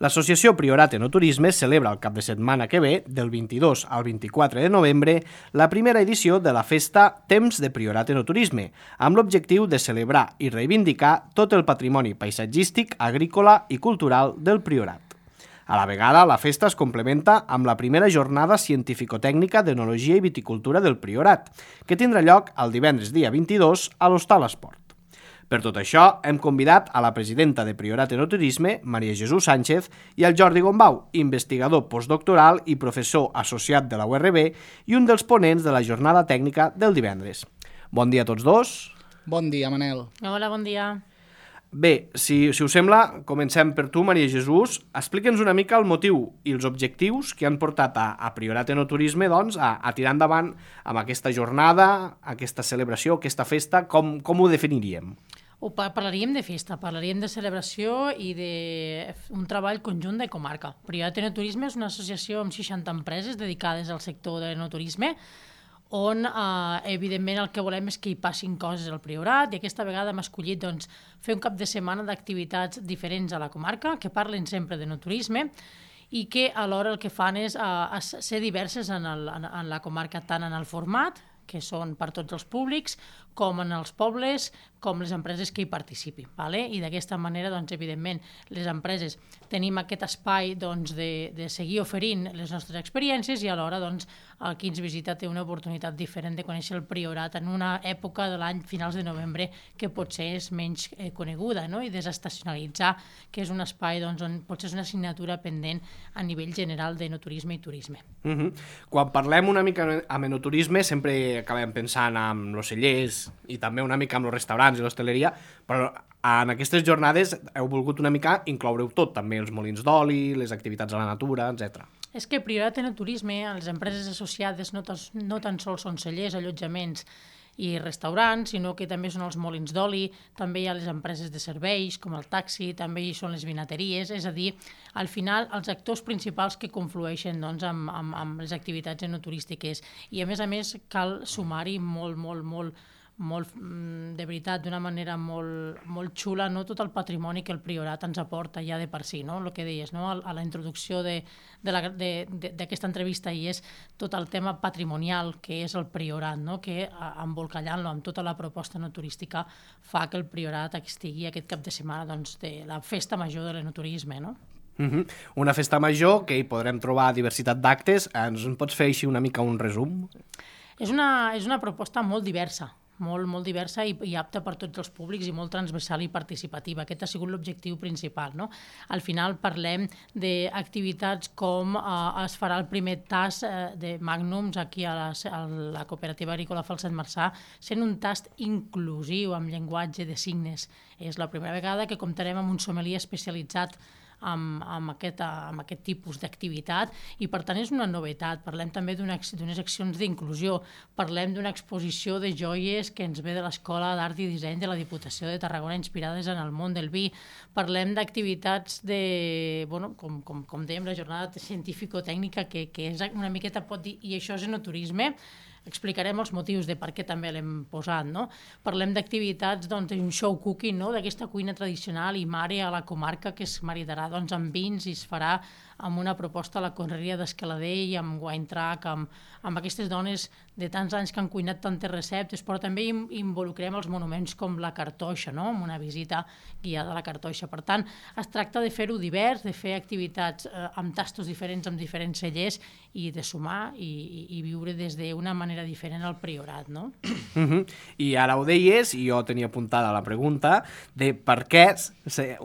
L'associació Priorat Enoturisme celebra el cap de setmana que ve, del 22 al 24 de novembre, la primera edició de la festa Temps de Priorat Enoturisme, amb l'objectiu de celebrar i reivindicar tot el patrimoni paisatgístic, agrícola i cultural del Priorat. A la vegada, la festa es complementa amb la primera jornada científico-tècnica d'Enologia i Viticultura del Priorat, que tindrà lloc el divendres dia 22 a l'Hostal Esport. Per tot això, hem convidat a la presidenta de Priorat Enoturisme, Maria Jesús Sánchez, i al Jordi Gombau, investigador postdoctoral i professor associat de la URB i un dels ponents de la jornada tècnica del divendres. Bon dia a tots dos. Bon dia, Manel. Hola, bon dia. Bé, si us sembla, comencem per tu, Maria Jesús. Explica'ns una mica el motiu i els objectius que han portat a Priorat Enoturisme doncs, a tirar endavant amb aquesta jornada, aquesta celebració, aquesta festa. Com ho definiríem? Parlaríem de festa, parlaríem de celebració i d'un treball conjunt de comarca. Priorat Enoturisme és una associació amb 60 empreses dedicades al sector de l'enoturisme, on, evidentment, el que volem és que hi passin coses al Priorat, i aquesta vegada hem escollit fer un cap de setmana d'activitats diferents a la comarca, que parlen sempre d'enoturisme, i que alhora el que fan és ser diverses en la comarca, tant en el format, que són per tots els públics, com en els pobles, com les empreses que hi participin. I d'aquesta manera, evidentment, les empreses tenim aquest espai de seguir oferint les nostres experiències i alhora el qui ens visita té una oportunitat diferent de conèixer el Priorat en una època de l'any, finals de novembre, que potser és menys coneguda, i desestacionalitzar, que és un espai on potser és una assignatura pendent a nivell general d'enoturisme i turisme. Quan parlem una mica amb enoturisme sempre acabem pensant en els cellers i també una mica amb els restaurants i l'hostaleria, però en aquestes jornades heu volgut una mica incloure-ho tot, també els molins d'oli, les activitats a la natura, etc. És que Priorat Enoturisme, les empreses associades no tan sols són cellers, allotjaments i restaurants, sinó que també són els molins d'oli, també hi ha les empreses de serveis, com el taxi, també hi són les vinateries, és a dir, al final, els actors principals que conflueixen amb les activitats enoturístiques. I a més, cal sumar-hi molt, de veritat, d'una manera molt xula, tot el patrimoni que el Priorat ens aporta ja de per si, el que deies, a la introducció d'aquesta entrevista, i és tot el tema patrimonial que és el Priorat, que embolcallant-lo amb tota la proposta enoturística fa que el Priorat estigui aquest cap de setmana de la festa major de l'enoturisme, Una festa major que hi podrem trobar diversitat d'actes. Ens pots fer així una mica un resum? És una proposta molt diversa, molt diversa i apta per tots els públics i molt transversal i participativa. Aquest ha sigut l'objectiu principal. Al final parlem d'activitats com es farà el primer tast de Magnums aquí a la Cooperativa Agrícola Falset Marçà, sent un tast inclusiu amb llenguatge de signes. És la primera vegada que comptarem amb un sommelier especialitzat amb aquest tipus d'activitat i per tant és una novetat. Parlem també d'unes accions d'inclusió, parlem d'una exposició de joies que ens ve de l'Escola d'Art i Disseny de la Diputació de Tarragona inspirades en el món del vi, parlem d'activitats com dèiem, la jornada científico-tècnica que és una miqueta, pot dir, i això és enoturisme. Explicarem els motius de per què també l'hem posat. Parlem d'activitats, un show cooking, d'aquesta cuina tradicional i mare a la comarca que es maridarà amb vins i es farà amb una proposta a la Conreria d'Escalader i amb wine track, amb aquestes dones de tants anys que han cuinat tantes receptes, però també involucrem els monuments com la Cartoixa, amb una visita guiada a la Cartoixa. Per tant, es tracta de fer-ho divers, de fer activitats amb tastos diferents, amb diferents cellers i de sumar i viure des d'una manera diferent al Priorat, I ara ho deies, i jo tenia apuntada la pregunta de per què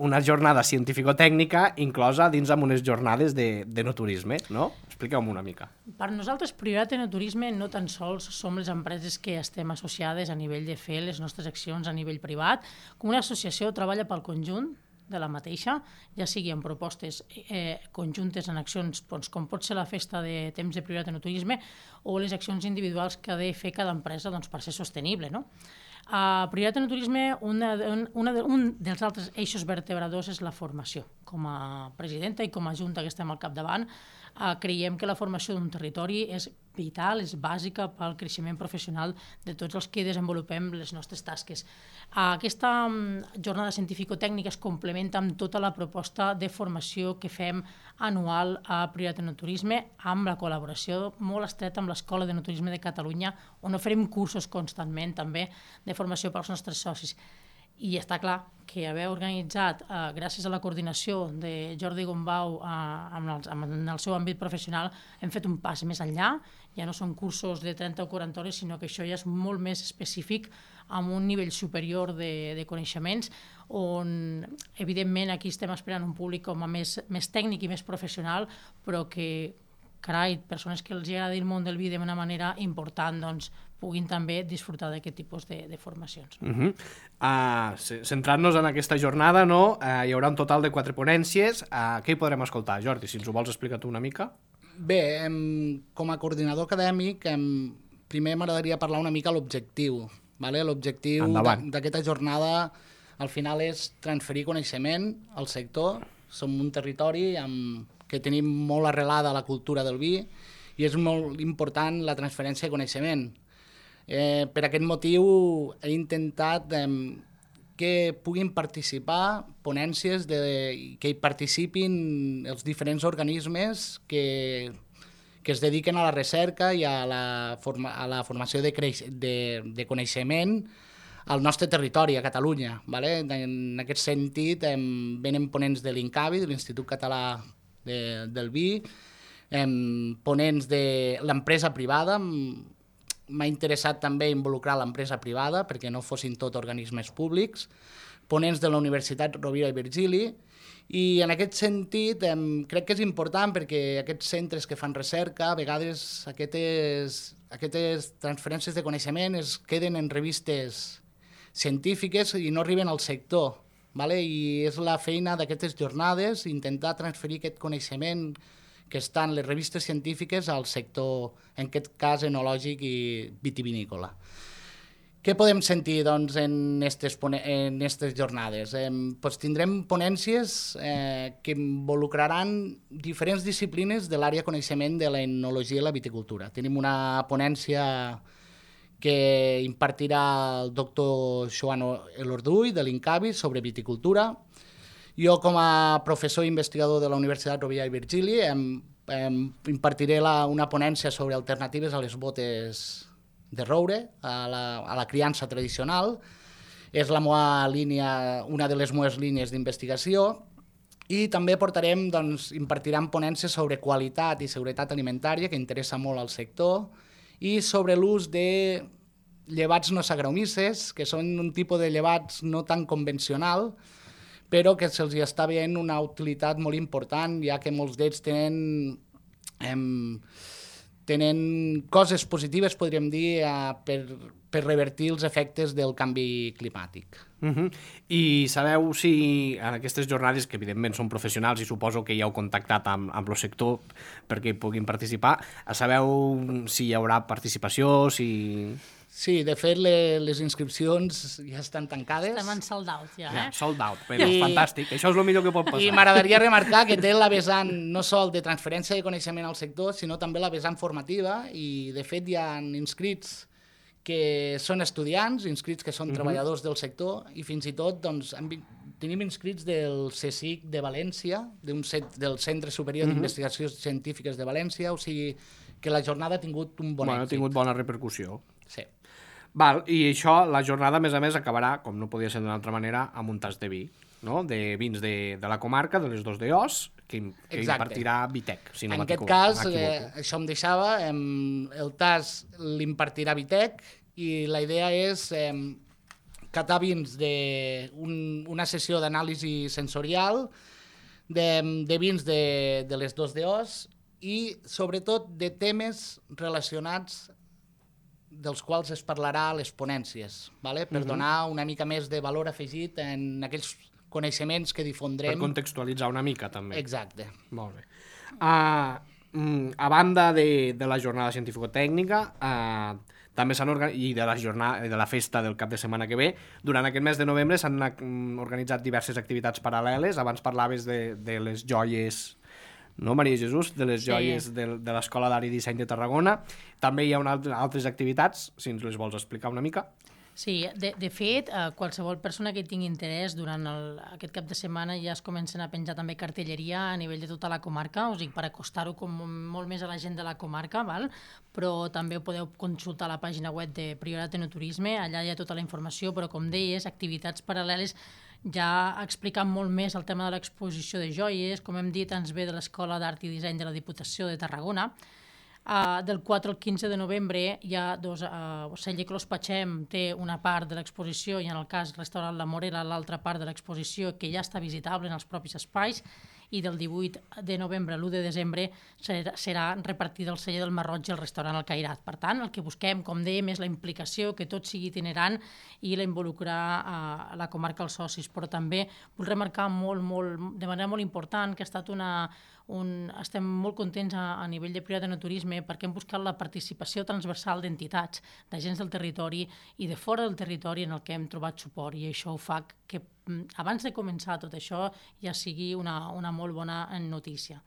una jornada científico-tècnica inclosa dins amb unes jornades d'enoturisme, Expliqueu-m'ho una mica. Per nosaltres, Priorat Enoturisme no tan sols som les empreses que estem associades a nivell de fer les nostres accions a nivell privat, com una associació treballa pel conjunt de la mateixa, ja sigui en propostes conjuntes en accions com pot ser la festa de temps de Priorat Enoturisme o les accions individuals que ha de fer cada empresa per ser sostenible. A Priorat Enoturisme, un dels altres eixos vertebradors és la formació. Com a presidenta i com a junta que estem al capdavant, creiem que la formació d'un territori és vital, és bàsica pel creixement professional de tots els que desenvolupem les nostres tasques. Aquesta jornada científico-tècnica es complementa amb tota la proposta de formació que fem anual a Prioritat Enoturisme, amb la col·laboració molt estreta amb l'Escola de Enoturisme de Catalunya, on oferim cursos constantment també de formació pels nostres socis. I està clar que haver organitzat, gràcies a la coordinació de Jordi Gombau en el seu àmbit professional, hem fet un pas més enllà. Ja no són cursos de 30 o 40 hores, sinó que això ja és molt més específic, amb un nivell superior de coneixements, on, evidentment, aquí estem esperant un públic com a més tècnic i més professional, però que, carai, persones que els agrada el món del vi d'una manera important, doncs, puguin també disfrutar d'aquest tipus de formacions. Centrant-nos en aquesta jornada, hi haurà un total de 4 ponències. Què hi podrem escoltar, Jordi? Si ens ho vols explicar tu una mica. Bé, com a coordinador acadèmic, primer m'agradaria parlar una mica l'objectiu. L'objectiu d'aquesta jornada al final és transferir coneixement al sector. Som un territori que tenim molt arrelada la cultura del vi i és molt important la transferència de coneixement. Per aquest motiu he intentat que puguin participar ponències, que hi participin els diferents organismes que es dediquen a la recerca i a la formació de coneixement al nostre territori, a Catalunya. En aquest sentit, venen ponents de l'INCAVI, de l'Institut Català del Vi, ponents de l'empresa privada. M'ha interessat també involucrar l'empresa privada perquè no fossin tot organismes públics, ponents de la Universitat Rovira i Virgili, i en aquest sentit crec que és important perquè aquests centres que fan recerca, a vegades aquestes transferències de coneixement es queden en revistes científiques i no arriben al sector. I és la feina d'aquestes jornades intentar transferir aquest coneixement que estan les revistes científiques al sector, en aquest cas enològic i vitivinícola. Què podem sentir en aquestes jornades? Tindrem ponències que involucraran diferents disciplines de l'àrea de coneixement de l'enologia i la viticultura. Tenim una ponència que impartirà el doctor Joan Elorduy de l'INCAVI sobre viticultura. Jo, com a professor i investigador de la Universitat Rovira i Virgili, impartiré una ponència sobre alternatives a les botes de roure, a la criança tradicional. És una de les meves línies d'investigació. I també impartirem ponències sobre qualitat i seguretat alimentària, que interessa molt al sector, i sobre l'ús de llevats no saccharomyces, que són un tipus de llevats no tan convencional, però que se'ls està veient una utilitat molt important, ja que molts d'ells tenen coses positives, podríem dir, per revertir els efectes del canvi climàtic. I sabeu si en aquestes jornades, que evidentment són professionals i suposo que ja heu contactat amb el sector perquè hi puguin participar, sabeu si hi haurà participació, Sí, de fet, les inscripcions ja estan tancades. Estem en sold out, ja. Sold out, però fantàstic. Això és el millor que pot passar. I m'agradaria remarcar que té la vessant no sol de transferència de coneixement al sector, sinó també la vessant formativa, i de fet hi ha inscrits que són estudiants, inscrits que són treballadors del sector, i fins i tot tenim inscrits del CSIC de València, del Centre Superior d'Investigacions Científiques de València, o sigui que la jornada ha tingut un bon èxit. Ha tingut bona repercussió. Sí. I això, la jornada, a més, acabarà, com no podia ser d'una altra manera, amb un tas de vi, de vins de la comarca, de les Dos de Os, que impartirà Vitec, si no m'equivoco. En aquest cas, això em deixava, el tas l'impartirà Vitec, i la idea és catar vins d'una sessió d'anàlisi sensorial, de vins de les Dos de Os, i sobretot de temes relacionats dels quals es parlarà a les ponències, per donar una mica més de valor afegit en aquells coneixements que difondrem. Per contextualitzar una mica, també. Exacte. Molt bé. A banda de la jornada científico-tècnica, també s'han i de la festa del cap de setmana que ve, durant aquest mes de novembre s'han organitzat diverses activitats paral·leles. Abans parlaves de les joies no, Maria Jesús, de les joies de l'Escola d'Art i Disseny de Tarragona. També hi ha altres activitats, si ens les vols explicar una mica. Sí, de fet, qualsevol persona que tingui interès durant aquest cap de setmana ja es comencen a penjar també cartelleria a nivell de tota la comarca, o sigui, per acostar-ho com molt més a la gent de la comarca, val? Però també ho podeu consultar a la pàgina web de Priorat Enoturisme, allà hi ha tota la informació, però com deies, activitats paral·leles ja explicant molt més el tema de l'exposició de joies, com hem dit, ens ve de l'Escola d'Art i Disseny de la Diputació de Tarragona. Del 4 al 15 de novembre hi ha Celler Clos Patxem té una part de l'exposició i en el cas Restaurant La Morera l'altra part de l'exposició que ja està visitable en els propis espais, i del 18 de novembre a l'1 de desembre serà repartida el celler del Marroig i el restaurant El Cairat. Per tant, el que busquem, com dèiem, és la implicació, que tot sigui itinerant i la involucrar a la comarca als socis, però també vull remarcar de manera molt important que ha estat estem molt contents a nivell de Priorat Enoturisme perquè hem buscat la participació transversal d'entitats, d'agents del territori i de fora del territori en el que hem trobat suport, i això ho fa que abans de començar tot això ja sigui una molt bona notícia.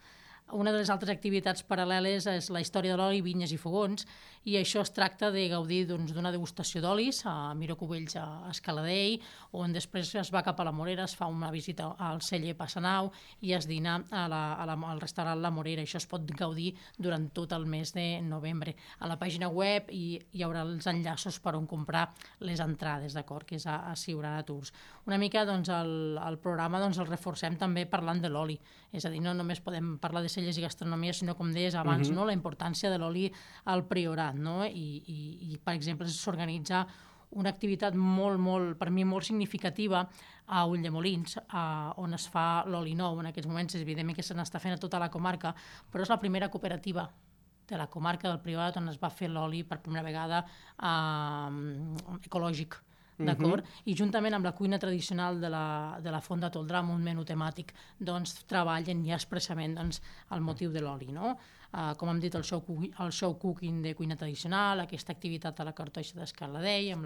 Una de les altres activitats paral·leles és la història de l'oli, vinyes i fogons, i això es tracta de gaudir d'una degustació d'olis a Miró Cubells a Escaladei, on després es va cap a la Morera, es fa una visita al celler Passanau i es dina al restaurant La Morera. Això es pot gaudir durant tot el mes de novembre. A la pàgina web hi haurà els enllaços per on comprar les entrades, d'acord? Que és a Siurana Tours. Una mica el programa el reforcem també parlant de l'oli, és a dir, no només podem parlar de cellers i gastronomia, sinó, com deies abans, no? La importància de l'oli al Priorat, no? I per exemple, s'organitza una activitat per mi molt significativa a Ulldemolins, on es fa l'oli nou. En aquests moments, evidentment que se n'està fent a tota la comarca, però és la primera cooperativa de la comarca del Priorat on es va fer l'oli per primera vegada ecològic. D'acord? I juntament amb la cuina tradicional de la Font de Toldrà, amb un menú temàtic, doncs treballen ja expressament el motiu de l'oli, no? Com hem dit, el show cooking de cuina tradicional, aquesta activitat a la Cartoixa d'Escaladei, en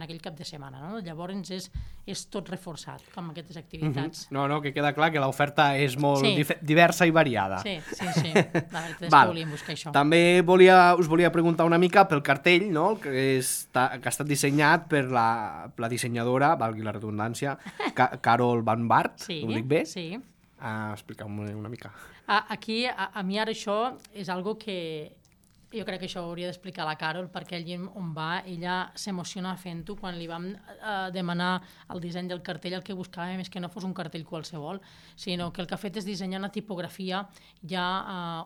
aquell cap de setmana, no? Llavors és tot reforçat amb aquestes activitats. No, que queda clar que l'oferta és molt diversa i variada. Sí. La veritat és que volíem buscar això. També us volia preguntar una mica pel cartell, no? Que ha estat dissenyat per la dissenyadora, valgui la redundància, Carol Van Bart, ho dic bé? Sí. Expliqueu-m'ho una mica. Aquí, a mi ara això és algo que jo crec que això ho hauria d'explicar la Carol, perquè allí on va, ella s'emociona fent-ho. Quan li vam demanar el disseny del cartell, el que buscàvem és que no fos un cartell qualsevol, sinó que el que ha fet és dissenyar una tipografia ja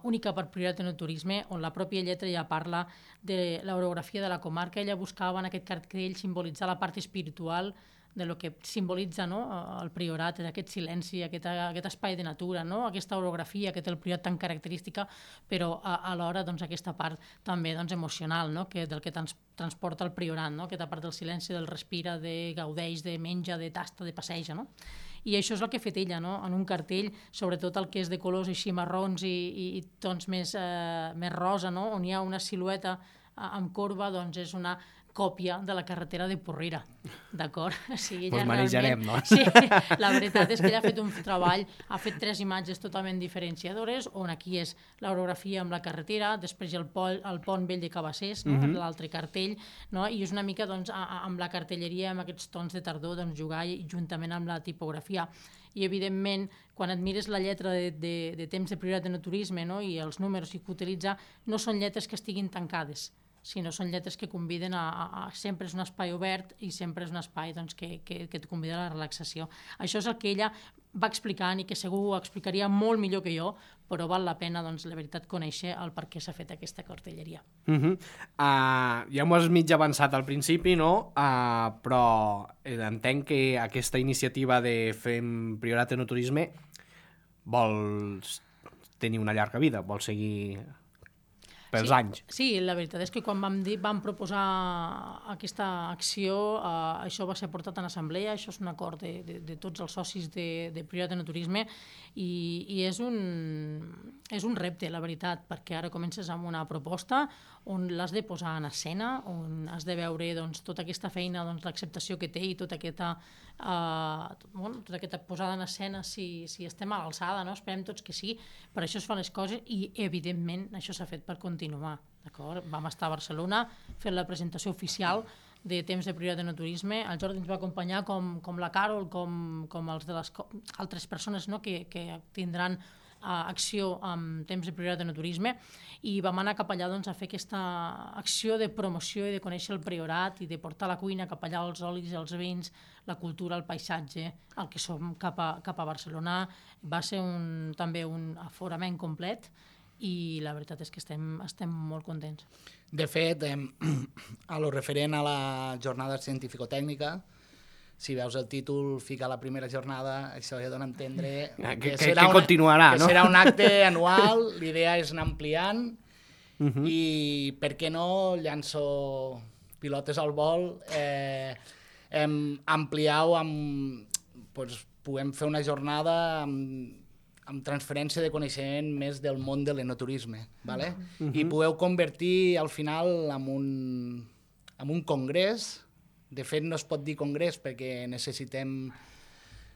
única per Priorat Enoturisme, on la pròpia lletra ja parla de l'orografia de la comarca. Ella buscava en aquest cartell simbolitzar la part espiritual de lo que simbolitza, no? El Priorat, aquest silenci, aquest espai de natura, no? Aquesta orografia que té el Priorat tan característica, però alhora aquesta part també emocional, no? Del que transporta el Priorat, no? Aquesta part del silenci, del respira, de gaudeix, de menja, de tasta, de passeja, no? I això és el que ha fet ella, no? En un cartell, sobretot el que és de colors així marrons i tons més rosa, no? On hi ha una silueta amb corba, doncs és una còpia de la carretera de Porrera, d'acord? Pues manejarem, no? Sí, la veritat és que ella ha fet un treball, ha fet 3 imatges totalment diferenciadores, on aquí és l'orografia amb la carretera, després hi ha el pont vell de Cabassers, no? L'altre cartell, no? I és una mica amb la cartelleria, amb aquests tons de tardor, jugar juntament amb la tipografia. I, evidentment, quan et mires la lletra de temps de Priorat Enoturisme, no? I els números que utilitza, no són lletres que estiguin tancades, sinó són lletres que conviden sempre és un espai obert i sempre és un espai que et convida a la relaxació. Això és el que ella va explicant i que segur ho explicaria molt millor que jo, però val la pena, la veritat, conèixer el per què s'ha fet aquesta cartelleria. Ja m'ho has mig avançat al principi, no? Però entenc que aquesta iniciativa de Fem Priorat Enoturisme vol tenir una llarga vida, vol seguir pels anys. Sí, la veritat és que quan vam proposar aquesta acció, això va ser portat en assemblea, això és un acord de tots els socis de Prioritat Enoturisme i és un repte, la veritat, perquè ara comences amb una proposta on l'has de posar en escena, on has de veure doncs, tota aquesta feina, doncs, l'acceptació que té i tota aquesta posada en escena, si estem a l'alçada, no? Esperem tots que sí, per això es fan les coses i, evidentment, això s'ha fet per continuar. Vam estar a Barcelona fent la presentació oficial de Temps de Prioritat Enoturisme. El Jordi ens va acompanyar com la Carol, com els de les altres persones, no? que tindran acció amb Temps de Prioritat Enoturisme i vam anar cap allà doncs, a fer aquesta acció de promoció i de conèixer el Priorat i de portar la cuina cap allà, els olis, els vins, la cultura, el paisatge, el que som cap a Barcelona. Va ser també un aforament complet i la veritat és que estem molt contents. De fet, a lo referent a la jornada científico-tècnica, si veus el títol, fica la primera jornada, això ja dona a entendre que continuarà, no? Que serà un acte anual, l'idea és anar ampliant i, per què no, llanço pilotes al vol, ampliar-ho puguem fer una jornada amb transferència de coneixement més del món de l'enoturisme, ¿vale? I podeu convertir al final en un congrés. De fet, no es pot dir congrés perquè necessitem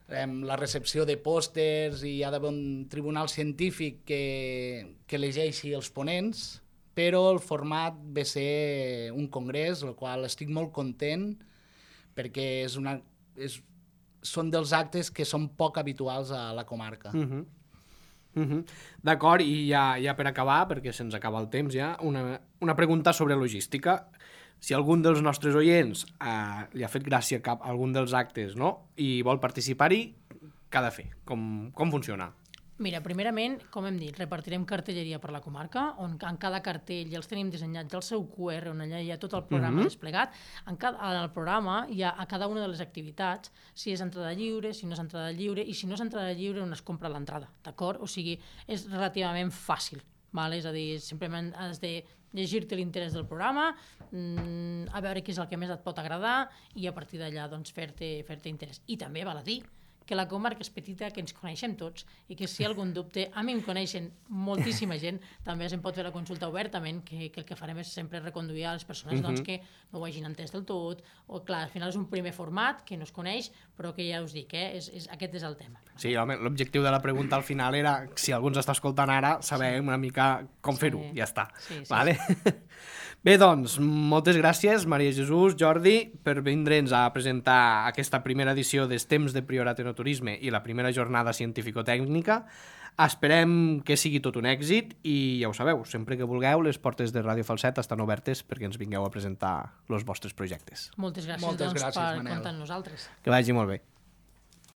la recepció de pòsters i hi ha d'haver un tribunal científic que elegeixi els ponents, però el format ve a ser un congrés, el qual estic molt content perquè són dels actes que són poc habituals a la comarca. D'acord, i ja per acabar, perquè se'ns acaba el temps ja, una pregunta sobre logística. Si algun dels nostres oients li ha fet gràcia a algun dels actes, no?, i vol participar-hi, què ha de fer? Com funciona? Mira, primerament, com hem dit, repartirem cartelleria per la comarca, on en cada cartell ja els tenim dissenyats el seu QR, on allà hi ha tot el programa desplegat. En el programa hi ha a cada una de les activitats, si és entrada lliure, si no és entrada lliure, i si no és entrada lliure, on es compra l'entrada, d'acord? O sigui, és relativament fàcil, val? És a dir, simplement has de llegir-te l'interès del programa, a veure què és el que més et pot agradar i a partir d'allà doncs, fer-te interès. I també val a dir que la comarca és petita, que ens coneixem tots i que si hi ha algun dubte, a mi em coneixen moltíssima gent, també se'n pot fer la consulta obertament, que el que farem és sempre reconduir a les persones doncs, que no ho hagin entès del tot, o clar, al final és un primer format que no es coneix, però que ja us dic, aquest és el tema. Sí, l'objectiu de la pregunta al final era, si algú ens està escoltant ara, saber una mica com fer-ho, ja està. Vale? Bé, doncs, moltes gràcies, Maria Jesús, Jordi, per vindre'ns a presentar aquesta primera edició dels Temps de Priorat Enoturisme i la primera jornada científico-tècnica. Esperem que sigui tot un èxit i ja ho sabeu, sempre que vulgueu, les portes de Ràdio Falset estan obertes perquè ens vingueu a presentar els vostres projectes. Moltes gràcies, per comptar amb nosaltres. Que vagi molt bé.